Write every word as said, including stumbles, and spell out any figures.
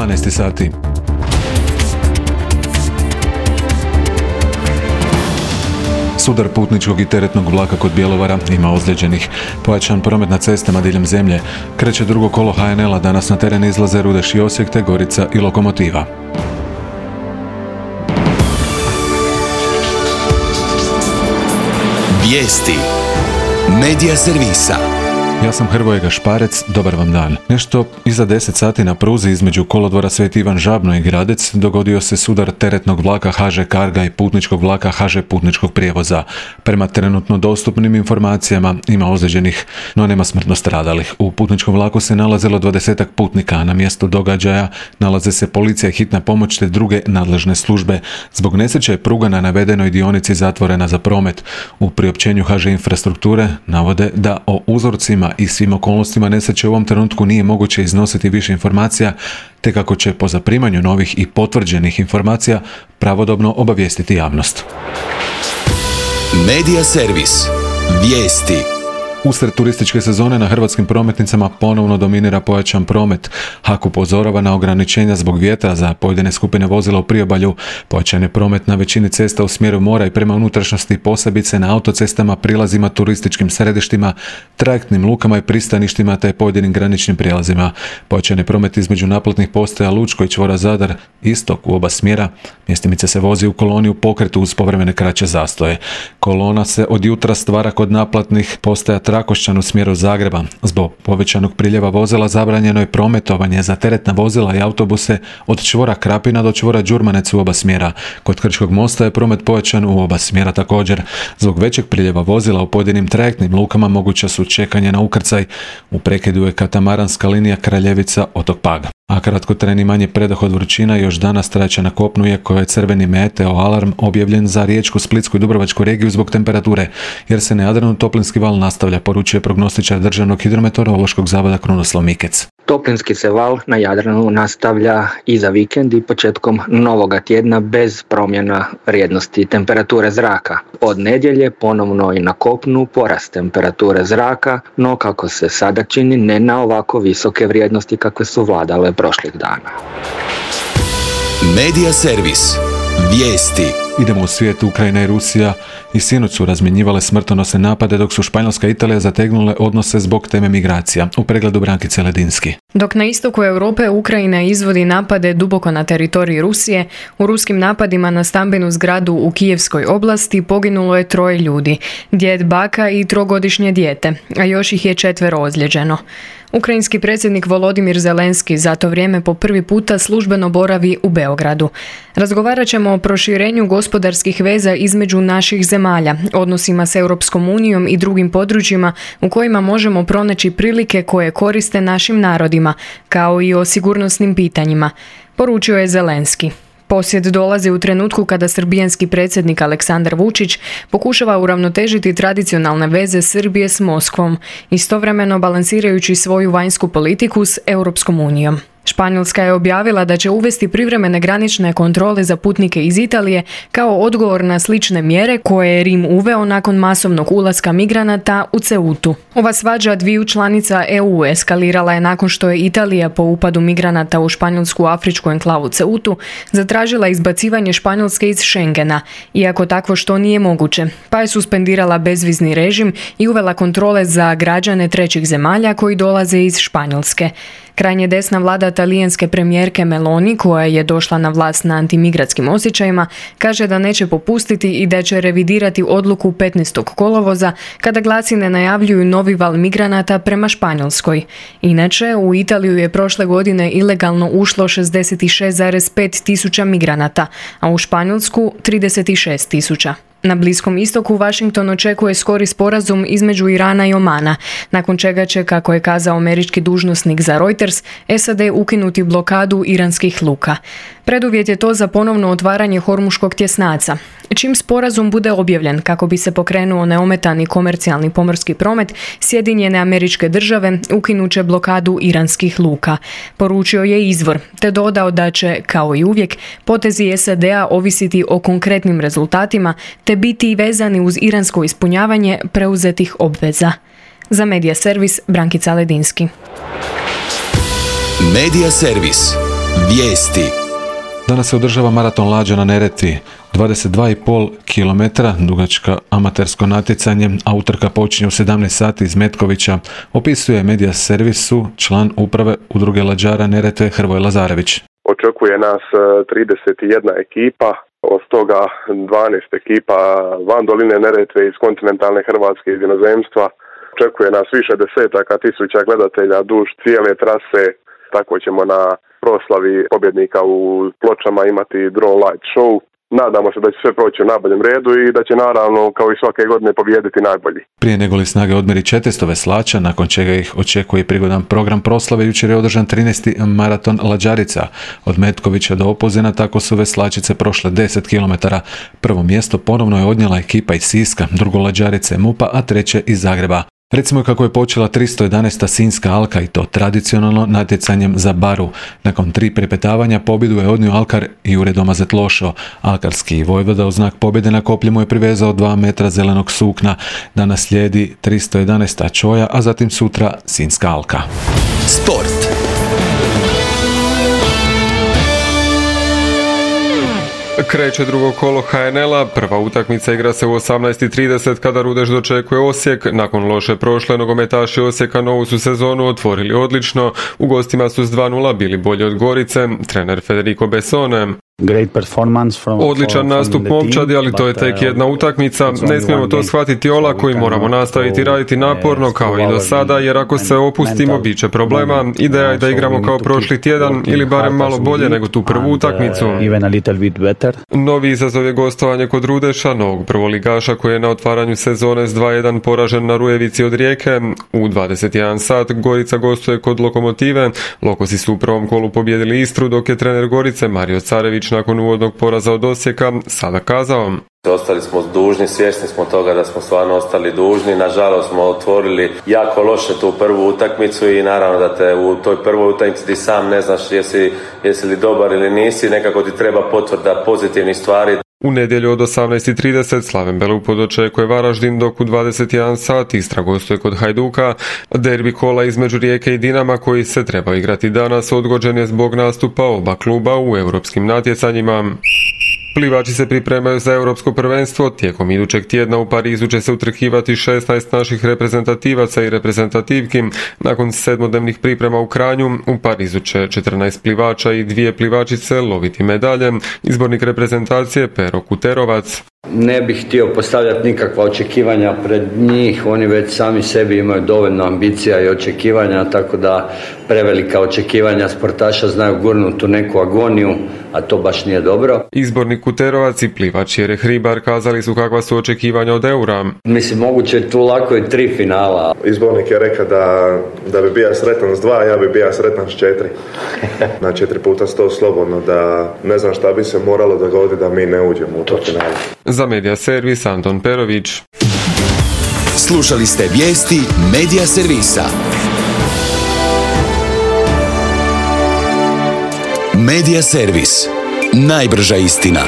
dvanaest sati. Sudar putničkog i teretnog vlaka kod Bjelovara, ima ozlijeđenih. Pojačan promet na cestama diljem zemlje. Kreće drugo kolo ha en el a, danas na teren izlaze Rudeš i Osijek te Gorica i Lokomotiva. Vijesti Medija servisa. Ja sam Hrvoje Gašparec, dobar vam dan. Nešto iza deset sati na pruzi između kolodvora Sveti Ivan Žabno i Gradec dogodio se sudar teretnog vlaka ha že Carga i putničkog vlaka ha že Putničkog prijevoza. Prema trenutno dostupnim informacijama ima ozlijeđenih, no nema smrtno stradalih. U putničkom vlaku se nalazilo dvadesetak putnika, a na mjestu događaja nalaze se policija i hitna pomoć te druge nadležne službe. Zbog nesreće je pruga na navedenoj dionici zatvorena za promet. U priopćenju ha že Infrastrukture navode da o uzorcima i svim okolnostima nesreće u ovom trenutku nije moguće iznositi više informacija, te kako će po zaprimanju novih i potvrđenih informacija pravodobno obavijestiti javnost. Medija servis. Vijesti. Usred turističke sezone na hrvatskim prometnicama ponovno dominira pojačan promet. ha k upozorava na ograničenja zbog vjetra za pojedine skupine vozila u priobalju. Pojačan je promet na većini cesta u smjeru mora i prema unutrašnjosti, posebice na autocestama, prilazima, turističkim središtima, trajektnim lukama i pristaništima te pojedinim graničnim prijelazima. Pojačan je promet između naplatnih postaja Lučko i čvora Zadar, istok u oba smjera. Mjestimice se vozi u koloni u pokretu uz povremene kraće zastoje. Kolona se od jutra stvara kod naplatnih postaja Trakošćan u smjeru Zagreba. Zbog povećanog priljeva vozila zabranjeno je prometovanje za teretna vozila i autobuse od čvora Krapina do čvora Đurmanec u oba smjera. Kod Krčkog mosta je promet povećan u oba smjera također. Zbog većeg priljeva vozila u pojedinim trajektnim lukama moguća su čekanje na ukrcaj. U prekidu je katamaranska linija Kraljevica otok Pag. A kratkotrajni manji predah od vrućina još danas traće na kopnu, iako je crveni meteo alarm objavljen za Riječku, Splitsku i Dubrovačku regiju zbog temperature, jer se na Jadranu toplinski val nastavlja, poručuje prognostičar Državnog hidrometeorološkog zavoda Krunoslav Mikec. Toplinski se val na Jadranu nastavlja i za vikend i početkom novoga tjedna bez promjena vrijednosti temperature zraka. Od nedjelje ponovno i na kopnu porast temperature zraka, no kako se sada čini ne na ovako visoke vrijednosti kakve su vladale prošlih dana. Medija servis. Vijesti. Idemo u svijet. Ukrajina i Rusija i sinoć su razmjenjivale smrtonosne napade, dok su Španjolska i Italija zategnule odnose zbog teme migracija. U pregledu Brankice Ledinski. Dok na istoku Europe Ukrajina izvodi napade duboko na teritoriji Rusije, u ruskim napadima na stambenu zgradu u Kijevskoj oblasti poginulo je troje ljudi, djed, baka i trogodišnje dijete, a još ih je četvero ozlijeđeno. Ukrajinski predsjednik Volodimir Zelenski za to vrijeme po prvi puta službeno boravi u Beogradu. Razgovarat ćemo o proširenju gospodarskih veza između naših zemalja, odnosima s Europskom unijom i drugim područjima u kojima možemo pronaći prilike koje koriste našim narodima, kao i o sigurnosnim pitanjima, poručio je Zelenski. Posjet dolazi u trenutku kada srbijanski predsjednik Aleksandar Vučić pokušava uravnotežiti tradicionalne veze Srbije s Moskvom, istovremeno balansirajući svoju vanjsku politiku s Europskom unijom. Španjolska je objavila da će uvesti privremene granične kontrole za putnike iz Italije kao odgovor na slične mjere koje je Rim uveo nakon masovnog ulaska migranata u Ceutu. Ova svađa dviju članica E U eskalirala je nakon što je Italija po upadu migranata u španjolsku afričku enklavu Ceutu zatražila izbacivanje Španjolske iz Schengena, iako takvo što nije moguće, pa je suspendirala bezvizni režim i uvela kontrole za građane trećih zemalja koji dolaze iz Španjolske. Krajnje desna vlada talijanske premijerke Meloni, koja je došla na vlast na antimigratskim osjećajima, kaže da neće popustiti i da će revidirati odluku petnaestog kolovoza kada glasine najavljuju novi val migranata prema Španjolskoj. Inače, u Italiju je prošle godine ilegalno ušlo šezdeset šest zarez pet tisuća migranata, a u Španjolsku trideset šest tisuća. Na Bliskom istoku Washington očekuje skori sporazum između Irana i Omana, nakon čega će, kako je kazao američki dužnosnik za Reuters, S A D ukinuti blokadu iranskih luka. Preduvjet je to za ponovno otvaranje Hormuškog tjesnaca. Čim sporazum bude objavljen kako bi se pokrenuo neometani komercijalni pomorski promet, Sjedinjene Američke Države ukinuće blokadu iranskih luka, poručio je izvor, te dodao da će, kao i uvijek, potezi S A D-a ovisiti o konkretnim rezultatima te biti vezani uz iransko ispunjavanje preuzetih obveza. Za Medija servis Brankica Ledinski. Medija servis. Vijesti. Danas se održava maraton lađa na Neretvi. dvadeset dva i pol kilometra dugačka amatersko natjecanje, a utrka počinje u sedamnaest sati iz Metkovića, opisuje Media Servisu član uprave udruge lađara Neretve Hrvoje Lazarević. Očekuje nas trideset jedna ekipa, od toga dvanaest ekipa van doline Neretve iz kontinentalne Hrvatske, iz inozemstva. Očekuje nas više desetaka tisuća gledatelja duž cijele trase, tako ćemo na proslavi pobjednika u Pločama imati drone light show. Nadamo se da će sve proći u najboljem redu i da će naravno kao i svake godine pobijediti najbolji. Prije nego li snage odmeri četiristo veslača, nakon čega ih očekuje prigodan program proslave, jučer je održan trinaesti maraton lađarica. Od Metkovića do Opuzena tako su veslačice prošle deset kilometara. Prvo mjesto ponovno je odnijela ekipa iz Siska, drugo lađarice MUP-a, a treće iz Zagreba. Recimo kako je počela tristo jedanaesta Sinjska alka i to tradicionalno natjecanjem za baru. Nakon tri prepetavanja pobjedu je odnio alkar Jure Domazet Lošo. Alkarski vojvoda u znak pobjede na koplje mu je privezao dva metra zelenog sukna. Danas slijedi tristo jedanaesta Čoja, a zatim sutra Sinjska alka. Sport. Kreće drugo kolo ha en el-a, prva utakmica igra se u osamnaest i trideset kada Rudeš dočekuje Osijek. Nakon loše prošle, nogometaši Osijeka novu su sezonu otvorili odlično. U gostima su s dva nula bili bolji od Gorice, trener Federico Bessone. Odličan nastup momčadi, ali to je tek jedna utakmica. Ne smijemo to shvatiti olako i moramo nastaviti raditi naporno kao i do sada, jer ako se opustimo bit će problema. Ideja je da igramo kao prošli tjedan ili barem malo bolje nego tu prvu utakmicu. Novi izazov je gostovanje kod Rudeša, novog prvoligaša koji je na otvaranju sezone s dva jedan poražen na Rujevici od Rijeke. U dvadeset jedan sat Gorica gostuje kod Lokomotive. Lokosi su u prvom kolu pobijedili Istru, dok je trener Gorice Mario Carević nakon uvodnog poraza od Osijeka sada kazao: ostali smo dužni, svjesni smo toga da smo stvarno ostali dužni. Nažalost smo otvorili jako loše tu prvu utakmicu i naravno da te u toj prvoj utakmici ti sam ne znaš jesi, jesi li dobar ili nisi, nekako ti treba potvrda pozitivnih stvari. U nedjelju od osamnaest i trideset Slaven Belupo dočekuje Varaždin, dok u dvadeset jedan sat Istra gostuje kod Hajduka. Derbi kola između Rijeke i Dinama, koji se treba igrati danas, odgođen je zbog nastupa oba kluba u europskim natjecanjima. Plivači se pripremaju za europsko prvenstvo. Tijekom idućeg tjedna u Parizu će se utrkivati šesnaest naših reprezentativaca i reprezentativki. Nakon sedmodnevnih priprema u Kranju, u Parizu će četrnaest plivača i dvije plivačice loviti medalje. Izbornik reprezentacije Pero Kuterovac: ne bih htio postavljati nikakva očekivanja pred njih, oni već sami sebi imaju dovoljno ambicija i očekivanja, tako da prevelika očekivanja sportaša znaju gurnuti u neku agoniju, a to baš nije dobro. Izbornik Kuterovac i plivač Jere Hribar kazali su kakva su očekivanja od eura. Mislim, moguće je tu lako i tri finala. Izbornik je rekao da, da bi bio sretan s dva, ja bi bio sretan s četiri. Na četiri puta sto slobodno, da ne znam šta bi se moralo dogoditi da mi ne uđemo u to finale. Za Media Servis Anton Perović. Slušali ste vijesti Media Servisa. Media Servis. Najbrža istina.